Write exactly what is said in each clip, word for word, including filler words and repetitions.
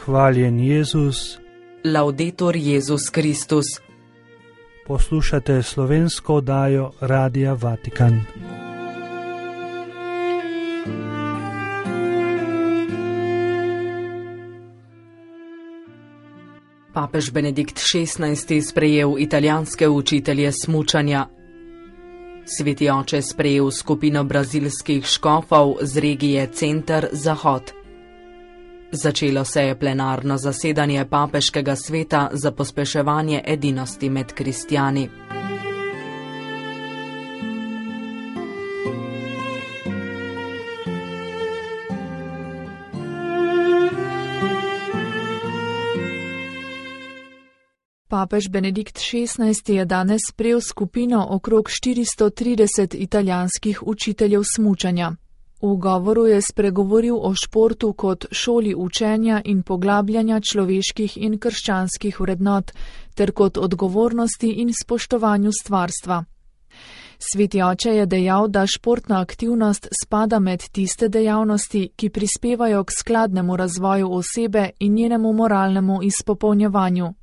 Hvaljen Jezus. Laudetur Jezus Kristus. Poslušate slovensko oddajo Radia Vatikan. Papež Benedikt šestnajsti sprejel italijanske učitelje smučanja. Sveti oče sprejel skupino brazilskih škofov z regije Center Zahod. Začelo se je plenarno zasedanje papeškega sveta za pospeševanje edinosti med kristjani. Papež Benedikt šestnajsti je danes sprejel skupino okrog štiristo trideset italijanskih učiteljev smučanja. V govoru je spregovoril o športu kot šoli učenja in poglabljanja človeških in krščanskih vrednot, ter kot odgovornosti in spoštovanju stvarstva. Sveti oče je dejal, da športna aktivnost spada med tiste dejavnosti, ki prispevajo k skladnemu razvoju osebe in njenemu moralnemu izpopolnjevanju.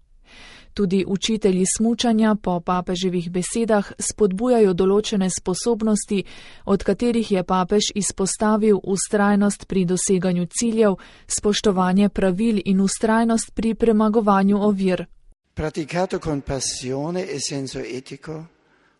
Tudi učitelji smučanja po papeževih besedah spodbujajo določene sposobnosti, od katerih je papež izpostavil vztrajnost pri doseganju ciljev, spoštovanje pravil in vztrajnost pri premagovanju ovir. Praticato con passione e senso etico,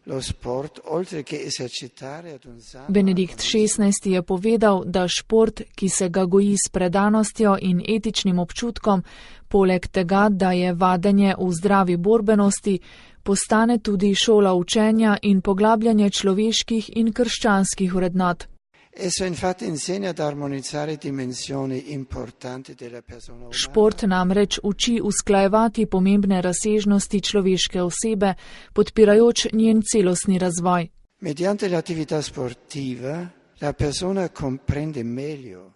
lo sport, oltre che esercitare ad un sano... Benedikt šestnajsti je povedal, da šport, ki se ga goji s predanostjo in etičnim občutkom, poleg tega, da je vadenje v zdravi borbenosti, postane tudi šola učenja in poglabljanje človeških in krščanskih vrednot. Esso infatti insegna ad armonizzare dimensioni importanti della persona umana. Šport namreč uči usklajevati pomembne razsežnosti človeške osebe, podpirajoč njen celostni razvoj. Mediante l'attività sportiva la persona comprende meglio.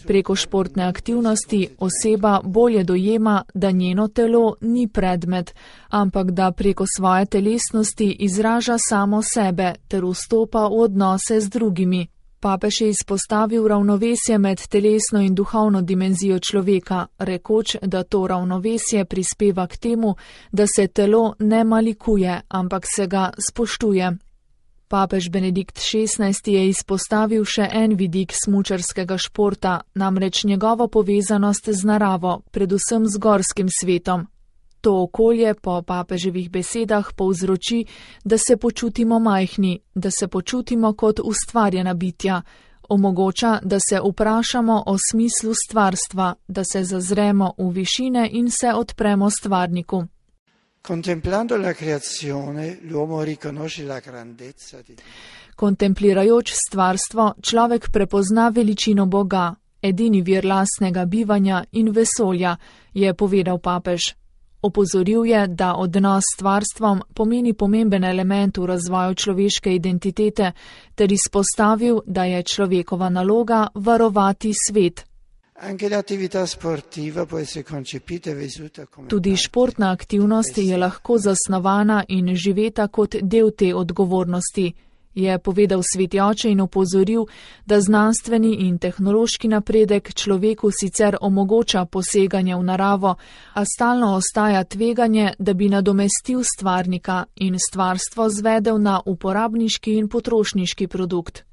Preko športne aktivnosti oseba bolje dojema, da njeno telo ni predmet, ampak da preko svoje telesnosti izraža samo sebe ter vstopa v odnose z drugimi. Papež je izpostavil ravnovesje med telesno in duhovno dimenzijo človeka, rekoč, da to ravnovesje prispeva k temu, da se telo ne malikuje, ampak se ga spoštuje. Papež Benedikt šestnajsti je izpostavil še en vidik smučarskega športa, namreč njegovo povezanost z naravo, predvsem z gorskim svetom. To okolje po papeževih besedah povzroči, da se počutimo majhni, da se počutimo kot ustvarjena bitja, omogoča, da se vprašamo o smislu stvarstva, da se zazremo v višine in se odpremo stvarniku. Contemplando la creazione, l'uomo riconosce la grandezza di Dio. Kontemplirajoč stvarstvo, človek prepozna veličino Boga, edini vir lastnega bivanja in vesolja, je povedal papež. Opozoril je, da odnos s stvarstvom pomeni pomemben element v razvoju človeške identitete, ter izpostavil, da je človekova naloga varovati svet. Tudi športna aktivnost je lahko zasnovana in živeta kot del te odgovornosti, je povedal sveti oče in opozoril, da znanstveni in tehnološki napredek človeku sicer omogoča poseganje v naravo, a stalno ostaja tveganje, da bi nadomestil stvarnika in stvarstvo zvedel na uporabniški in potrošniški produkt.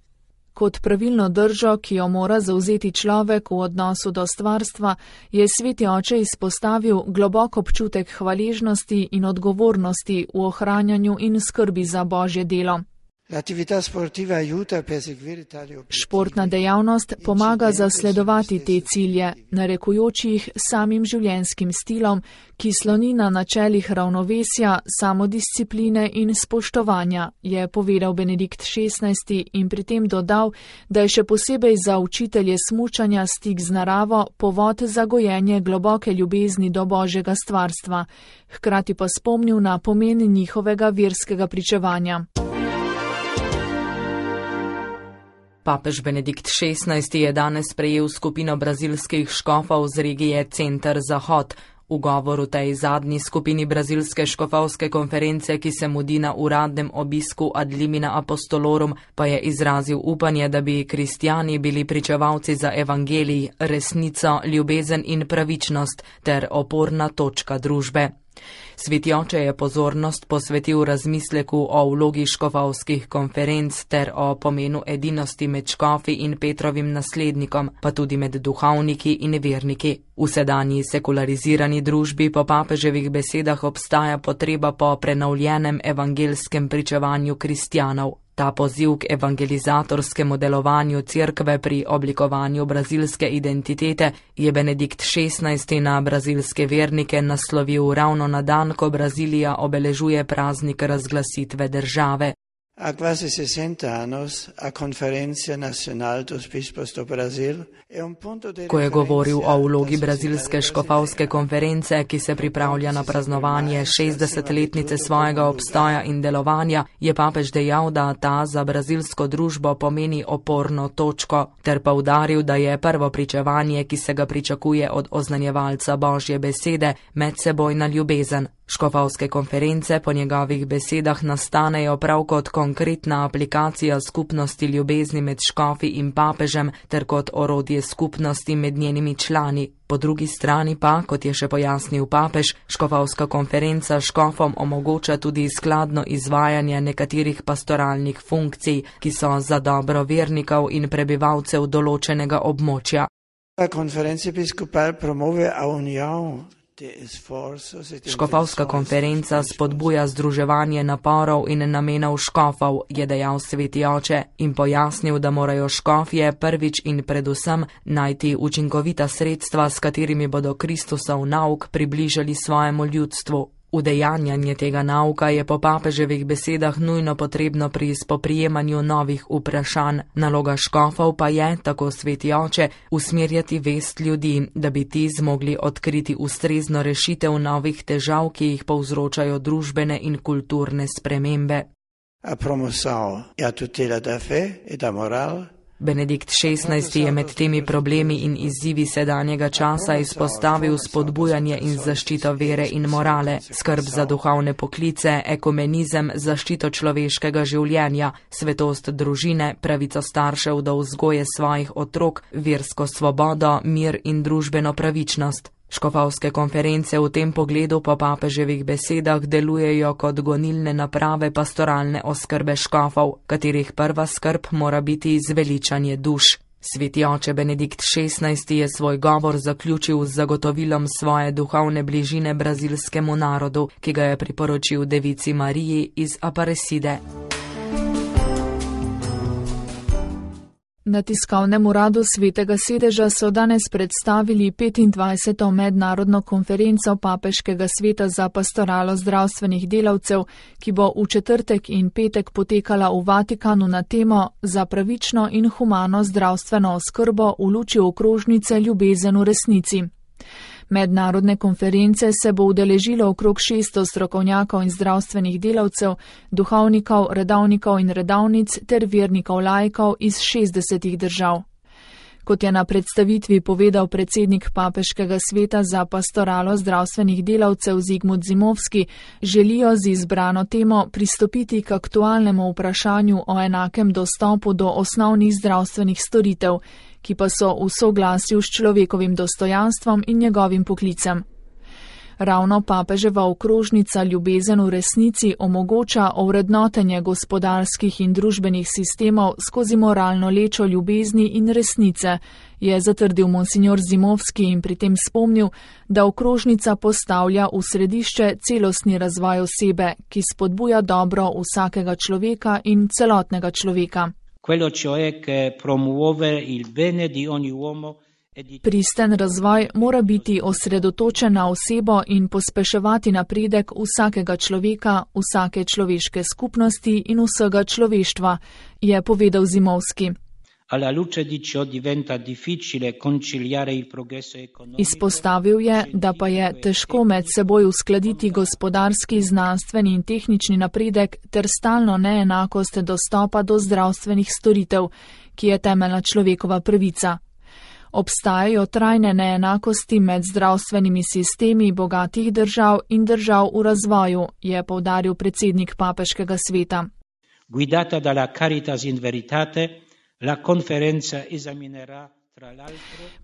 Kot pravilno držo, ki jo mora zavzeti človek v odnosu do stvarstva, je sveti oče izpostavil globok občutek hvaležnosti in odgovornosti v ohranjanju in skrbi za Božje delo. Športna dejavnost pomaga zasledovati te cilje, narekujoč jih samim življenjskim stilom, ki sloni na načelih ravnovesja, samodiscipline in spoštovanja, je povedal Benedikt šestnajsti in pri tem dodal, da je še posebej za učitelje smučanja stik z naravo povod za gojenje globoke ljubezni do Božjega stvarstva, hkrati pa spomnil na pomen njihovega verskega pričevanja. Papež Benedikt šestnajsti je danes sprejel skupino brazilskih škofov z regije Center Zahod. V govoru tej zadnji skupini brazilske škofovske konference, ki se mudi na uradnem obisku ad limina apostolorum, pa je izrazil upanje, da bi kristjani bili pričevalci za evangelij, resnico, ljubezen in pravičnost ter oporna točka družbe. Sveti oče je pozornost posvetil razmisleku o vlogi škofovskih konferenc ter o pomenu edinosti med škofi in Petrovim naslednikom, pa tudi med duhovniki in verniki. V sedanji sekularizirani družbi po papeževih besedah obstaja potreba po prenovljenem evangelskem pričevanju kristjanov. Ta poziv k evangelizatorskemu delovanju cerkve pri oblikovanju brazilske identitete je Benedikt šestnajsti na brazilske vernike naslovil ravno na dan, ko Brazilija obeležuje praznik razglasitve države. A quasi sessanta años, a Conferencia Nacional dos Bispos do Brasil è un punto di Ko je govoril o vlogi brazilske škofovske konference, ki se pripravlja na praznovanje šestdesetletnice svojega obstoja in delovanja, je papež dejal, da ta za brazilsko družbo pomeni oporno točko, ter poudaril, da je prvo pričevanje, ki se ga pričakuje od oznanjevalca Božje besede, medsebojna ljubezen. Škofovske konference po njegovih besedah nastanejo prav kot konkretna aplikacija skupnosti ljubezni med škofi in papežem ter kot orodje skupnosti med njenimi člani. Po drugi strani pa, kot je še pojasnil papež, škofovska konferenca škofom omogoča tudi skladno izvajanje nekaterih pastoralnih funkcij, ki so za dobro vernikov in prebivalcev določenega območja. Konferenca episkopal promuove a union. Škofovska konferenca spodbuja združevanje naporov in namenov škofov, je dejal sveti oče in pojasnil, da morajo škofje prvič in predvsem najti učinkovita sredstva, s katerimi bodo Kristusov nauk približali svojemu ljudstvu. Udejanjanje tega nauka je po papeževih besedah nujno potrebno pri spoprijemanju novih vprašanj. Naloga škofov pa je, tako sveti oče, usmerjati vest ljudi, da bi ti zmogli odkriti ustrezno rešitev novih težav, ki jih povzročajo družbene in kulturne spremembe. A promoção e a tutela da fé e da moral. Benedikt šestnajsti je med temi problemi in izzivi sedanjega časa izpostavil spodbujanje in zaščito vere in morale, skrb za duhovne poklice, ekumenizem, zaščito človeškega življenja, svetost družine, pravico staršev do vzgoje svojih otrok, versko svobodo, mir in družbeno pravičnost. Škofovske konference v tem pogledu po papeževih besedah delujejo kot gonilne naprave pastoralne oskrbe škofov, katerih prva skrb mora biti zveličanje duš. Sveti oče Benedikt šestnajsti je svoj govor zaključil z zagotovilom svoje duhovne bližine brazilskemu narodu, ki ga je priporočil devici Mariji iz Aparecide. Na tiskovnem uradu Svetega sedeža so danes predstavili petindvajseto mednarodno konferenco Papeškega sveta za pastoralo zdravstvenih delavcev, ki bo v četrtek in petek potekala v Vatikanu na temo Za pravično in humano zdravstveno oskrbo v luči okrožnice Ljubezen v resnici. Mednarodne konference se bo udeležilo okrog šeststo strokovnjakov in zdravstvenih delavcev, duhovnikov, redavnikov in redavnic ter vernikov laikov iz šestdesetih držav. Kot je na predstavitvi povedal predsednik Papeškega sveta za pastoralo zdravstvenih delavcev Zigmund Zimovski, želijo z izbrano temo pristopiti k aktualnemu vprašanju o enakem dostopu do osnovnih zdravstvenih storitev, ki pa so v soglasju s človekovim dostojanstvom in njegovim poklicem. Ravno papeževa okrožnica Ljubezen v resnici omogoča ovrednotenje gospodarskih in družbenih sistemov skozi moralno lečo ljubezni in resnice, je zatrdil monsignor Zimovski in pri tem spomnil, da okrožnica postavlja v središče celostni razvoj osebe, ki spodbuja dobro vsakega človeka in celotnega človeka. Quello cioè che promuove il bene di ogni uomo. Pristen razvoj mora biti osredotočen na osebo in pospeševati napredek vsakega človeka, vsake človeške skupnosti in vsega človeštva, je povedal Zimovski. Izpostavil je, da pa je težko med seboj uskladiti gospodarski, znanstveni in tehnični napredek ter stalno neenakost dostopa do zdravstvenih storitev, ki je temeljna človekova pravica. Obstajajo trajne neenakosti med zdravstvenimi sistemi bogatih držav in držav v razvoju, je poudaril predsednik Papeškega sveta. Guidata dalla Caritas in Veritate, la conferenza esaminerà.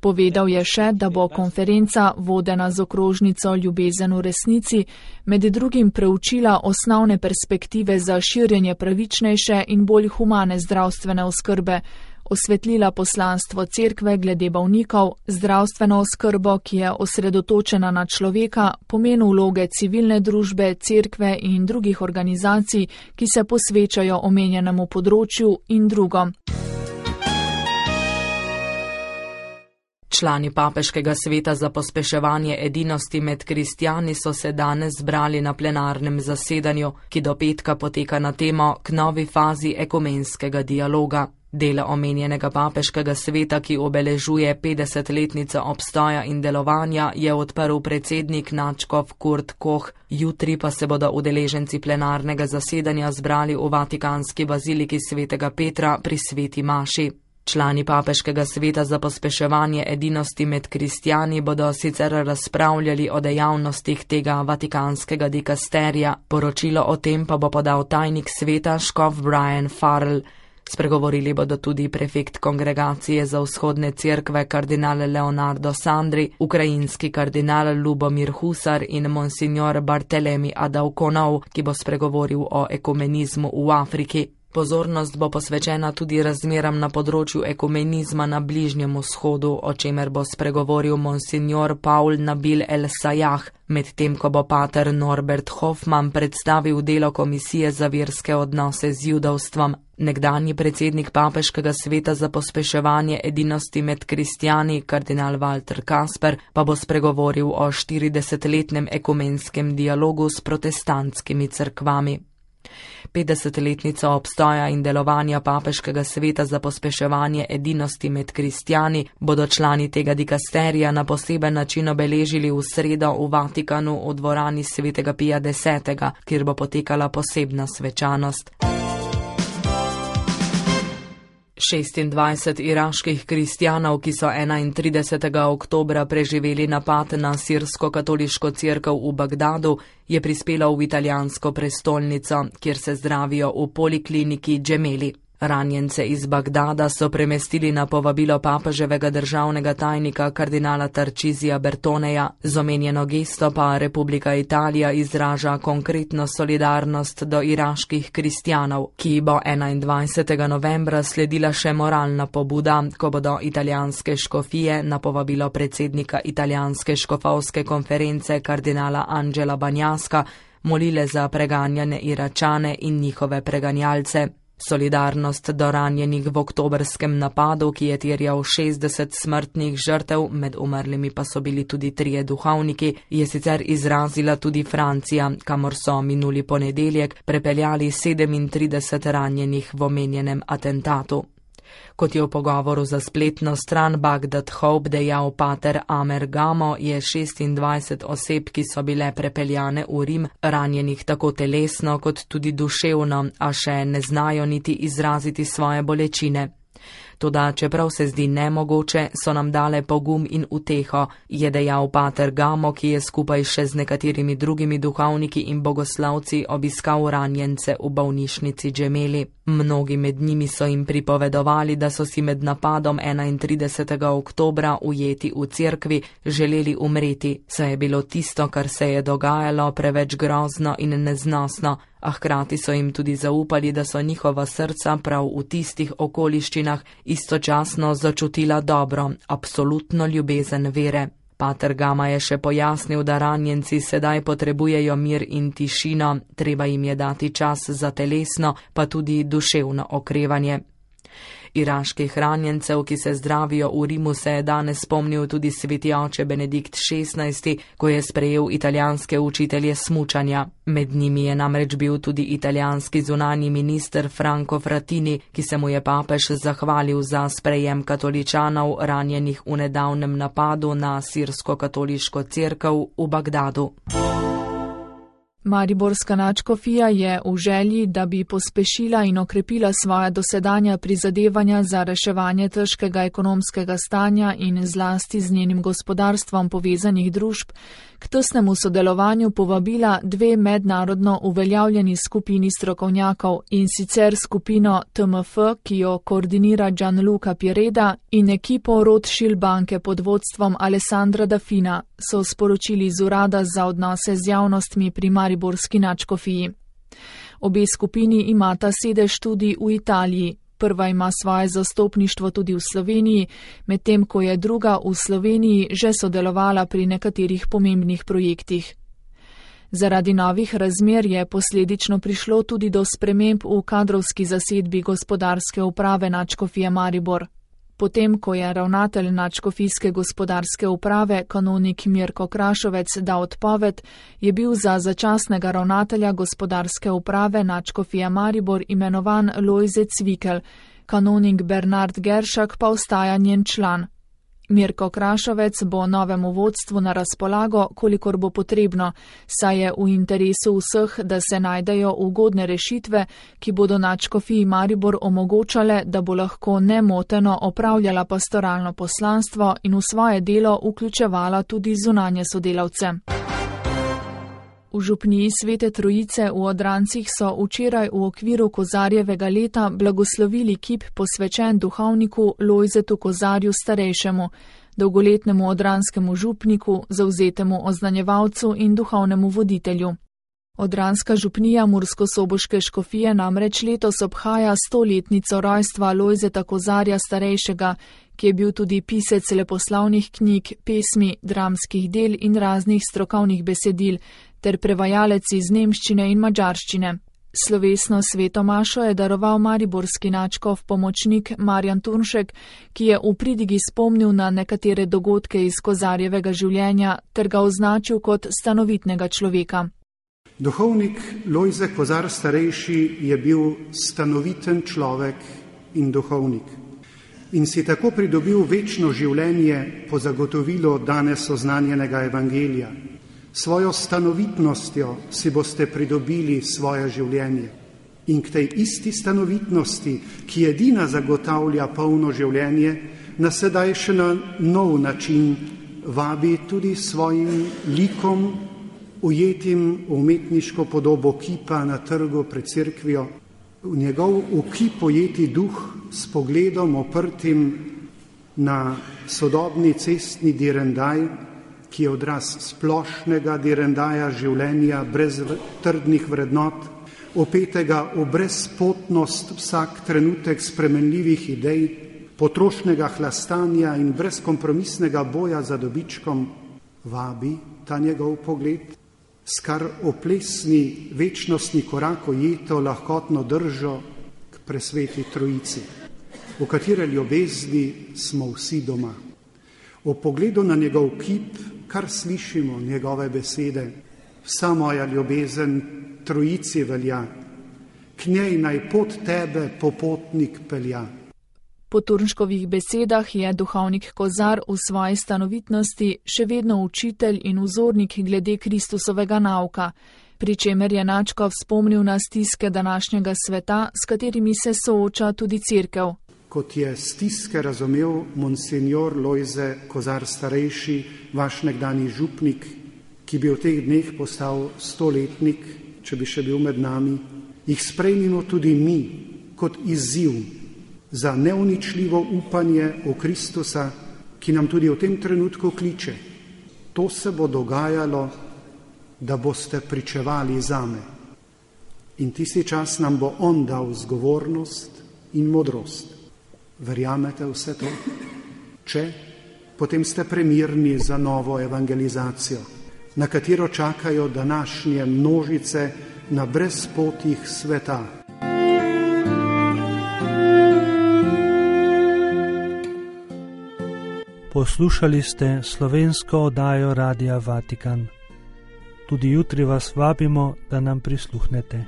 Povedal je še, da bo konferenca, vodena z okrožnico Ljubezen v resnici, med drugim preučila osnovne perspektive za širjenje pravičnejše in bolj humane zdravstvene oskrbe, osvetlila poslanstvo cerkve glede bolnikov, zdravstveno oskrbo, ki je osredotočena na človeka, pomen vloge civilne družbe, cerkve in drugih organizacij, ki se posvečajo omenjenemu področju in drugo. Člani Papeškega sveta za pospeševanje edinosti med kristjani so se danes zbrali na plenarnem zasedanju, ki do petka poteka na temo k novi fazi ekumenskega dialoga. Del omenjenega Papeškega sveta, ki obeležuje petdesetletnico obstoja in delovanja, je odprl predsednik nadškof Kurt Koch. Jutri pa se bodo udeleženci plenarnega zasedanja zbrali v Vatikanski baziliki svetega Petra pri sveti maši. Člani Papeškega sveta za pospeševanje edinosti med kristjani bodo sicer razpravljali o dejavnostih tega vatikanskega dikasterija, poročilo o tem pa bo podal tajnik sveta škof Brian Farrell. Spregovorili bodo tudi prefekt kongregacije za vzhodne cerkve kardinal Leonardo Sandri, ukrajinski kardinal Lubomir Husar in monsignor Bartelemi Adavkonov, ki bo spregovoril o ekumenizmu v Afriki. Pozornost bo posvečena tudi razmeram na področju ekumenizma na Bližnjem vzhodu, o čemer bo spregovoril monsignor Paul Nabil El Sayah, medtem ko bo pater Norbert Hoffman predstavil delo Komisije za verske odnose z judovstvom. Nekdanji predsednik Papeškega sveta za pospeševanje edinosti med kristjani, kardinal Walter Kasper, pa bo spregovoril o štiridesetletnem ekumenskem dialogu s protestantskimi cerkvami. petdesetletnico obstoja in delovanja Papeškega sveta za pospeševanje edinosti med kristjani bodo člani tega dikasterija na poseben način obeležili v sredo v Vatikanu v dvorani svetega Pija desetega, kjer bo potekala posebna svečanost. šestindvajset iraških kristjanov, ki so enaintridesetega oktobra preživeli napad na sirsko-katoliško cerkev v Bagdadu, je prispelo v italijansko prestolnico, kjer se zdravijo v polikliniki Gemelli. Ranjence iz Bagdada so premestili na povabilo papeževega državnega tajnika kardinala Tarcisija Bertoneja. Z omenjeno gesto pa Republika Italija izraža konkretno solidarnost do iraških kristjanov, ki bo enaindvajsetega novembra sledila še moralna pobuda, ko bodo italijanske škofije na povabilo predsednika italijanske škofovske konference kardinala Angela Banjaska molile za preganjane Iračane in njihove preganjalce. Solidarnost do ranjenih v oktobrskem napadu, ki je terjal šestdeset smrtnih žrtev, med umrlimi pa so bili tudi trije duhovniki, je sicer izrazila tudi Francija, kamor so minuli ponedeljek prepeljali sedemintrideset ranjenih v omenjenem atentatu. Kot je v pogovoru za spletno stran Bagdad Hope dejal pater Amer Gamo, je šestindvajset oseb, ki so bile prepeljane v Rim, ranjenih tako telesno kot tudi duševno, a še ne znajo niti izraziti svoje bolečine. Toda, čeprav se zdi nemogoče, so nam dale pogum in uteho, je dejal pater Gamo, ki je skupaj še z nekaterimi drugimi duhovniki in bogoslavci obiskal ranjence v bolnišnici Gemelli. Mnogi med njimi so jim pripovedovali, da so si med napadom enaintridesetega oktobra ujeti v cerkvi želeli umreti, saj je bilo tisto, kar se je dogajalo, preveč grozno in neznosno, a hkrati so jim tudi zaupali, da so njihova srca prav v tistih okoliščinah istočasno začutila dobro, absolutno ljubezen vere. Pater Gama je še pojasnil, da ranjenci sedaj potrebujejo mir in tišino, treba jim je dati čas za telesno, pa tudi duševno okrevanje. Iraških ranjencev, ki se zdravijo v Rimu, se je danes spomnil tudi sveti oče Benedikt šestnajsti, ko je sprejel italijanske učitelje smučanja. Med njimi je namreč bil tudi italijanski zunanji minister Franco Frattini, ki se mu je papež zahvalil za sprejem katoličanov ranjenih v nedavnem napadu na sirsko-katoliško cerkev v Bagdadu. Mariborska nadškofija je v želji, da bi pospešila in okrepila svoja dosedanja prizadevanja za reševanje težkega ekonomskega stanja in zlasti z njenim gospodarstvom povezanih družb, k tesnemu sodelovanju povabila dve mednarodno uveljavljeni skupini strokovnjakov, in sicer skupino T M F, ki jo koordinira Gianluca Piereda, in ekipo Rothschild banke pod vodstvom Alessandra Dafina, so sporočili z urada za odnose z javnostmi pri Mariborski nadškofiji. Obe skupini imata sedež tudi v Italiji. Prva ima svoje zastopništvo tudi v Sloveniji, medtem ko je druga v Sloveniji že sodelovala pri nekaterih pomembnih projektih. Zaradi novih razmer je posledično prišlo tudi do sprememb v kadrovski zasedbi gospodarske uprave nadškofije Maribor. Potem, ko je ravnatelj nadškofijske gospodarske uprave, kanonik Mirko Krašovec, dal odpoved, je bil za začasnega ravnatelja gospodarske uprave nadškofije Maribor imenovan Lojze Cvikel, kanonik Bernard Geršak pa ostaja njen član. Mirko Krašovec bo novemu vodstvu na razpolago, kolikor bo potrebno, saj je v interesu vseh, da se najdejo ugodne rešitve, ki bodo nadškofiji Maribor omogočale, da bo lahko nemoteno opravljala pastoralno poslanstvo in v svoje delo vključevala tudi zunanje sodelavce. V župniji Svete Trojice v Odrancih so včeraj v okviru Kozarjevega leta blagoslovili kip posvečen duhovniku Lojzetu Kozarju starejšemu, dolgoletnemu odranskemu župniku, zavzetemu oznanjevalcu in duhovnemu voditelju. Odranska župnija Murskosoboške škofije namreč letos obhaja stoletnico rojstva Lojzeta Kozarja starejšega, ki je bil tudi pisec leposlavnih knjig, pesmi, dramskih del in raznih strokovnih besedil, ter prevajalec iz nemščine in madžarščine. Slovesno sveto mašo je daroval mariborski nadškof pomočnik Marjan Turnšek, ki je v pridigi spomnil na nekatere dogodke iz Kozarjevega življenja ter ga označil kot stanovitnega človeka. Duhovnik Lojze Kozar starejši je bil stanoviten človek in duhovnik in si tako pridobil večno življenje po zagotovilo danes oznanjenega evangelija. Svojo stanovitnostjo si boste pridobili svoje življenje in k tej isti stanovitnosti, ki edina zagotavlja polno življenje, nas sedaj še na nov način vabi tudi svojim likom, ujetim v umetniško podobo kipa na trgu pred cerkvijo, v njegov v kip ujeti duh s pogledom oprtim na sodobni cestni direndaj, ki je odraz splošnega direndaja življenja brez trdnih vrednot, opetega v brezpotnost vsak trenutek spremenljivih idej, potrošnega hlastanja in brezkompromisnega boja za dobičkom, vabi ta njegov pogled, s kar oplesni večnostni korak ujeto lahkotno držo k presveti Trojici, v katere ljubezni smo vsi doma. O pogledu na njegov kip, kar slišimo njegove besede, vsa moja ljubezen Trojici velja, k njej naj pot tebe popotnik pelja. Po Turnškovih besedah je duhovnik Kozar v svoji stanovitnosti še vedno učitelj in vzornik glede Kristusovega nauka, pri čemer je nadškof spomnil na stiske današnjega sveta, s katerimi se sooča tudi cerkev. Kot je stiske razumel monsignor Lojze Kozar starejši, vaš nekdani župnik, ki bi v teh dneh postal stoletnik, če bi še bil med nami, jih sprejmimo tudi mi kot izziv za neuničljivo upanje v Kristusa, ki nam tudi v tem trenutku kliče. To se bo dogajalo, da boste pričevali zame. In tisti čas nam bo on dal zgovornost in modrost. Verjamete vse to? Če, potem ste premirni za novo evangelizacijo, na katero čakajo današnje množice na brezpotjih sveta. Poslušali ste slovensko oddajo Radia Vatikan. Tudi jutri vas vabimo, da nam prisluhnete.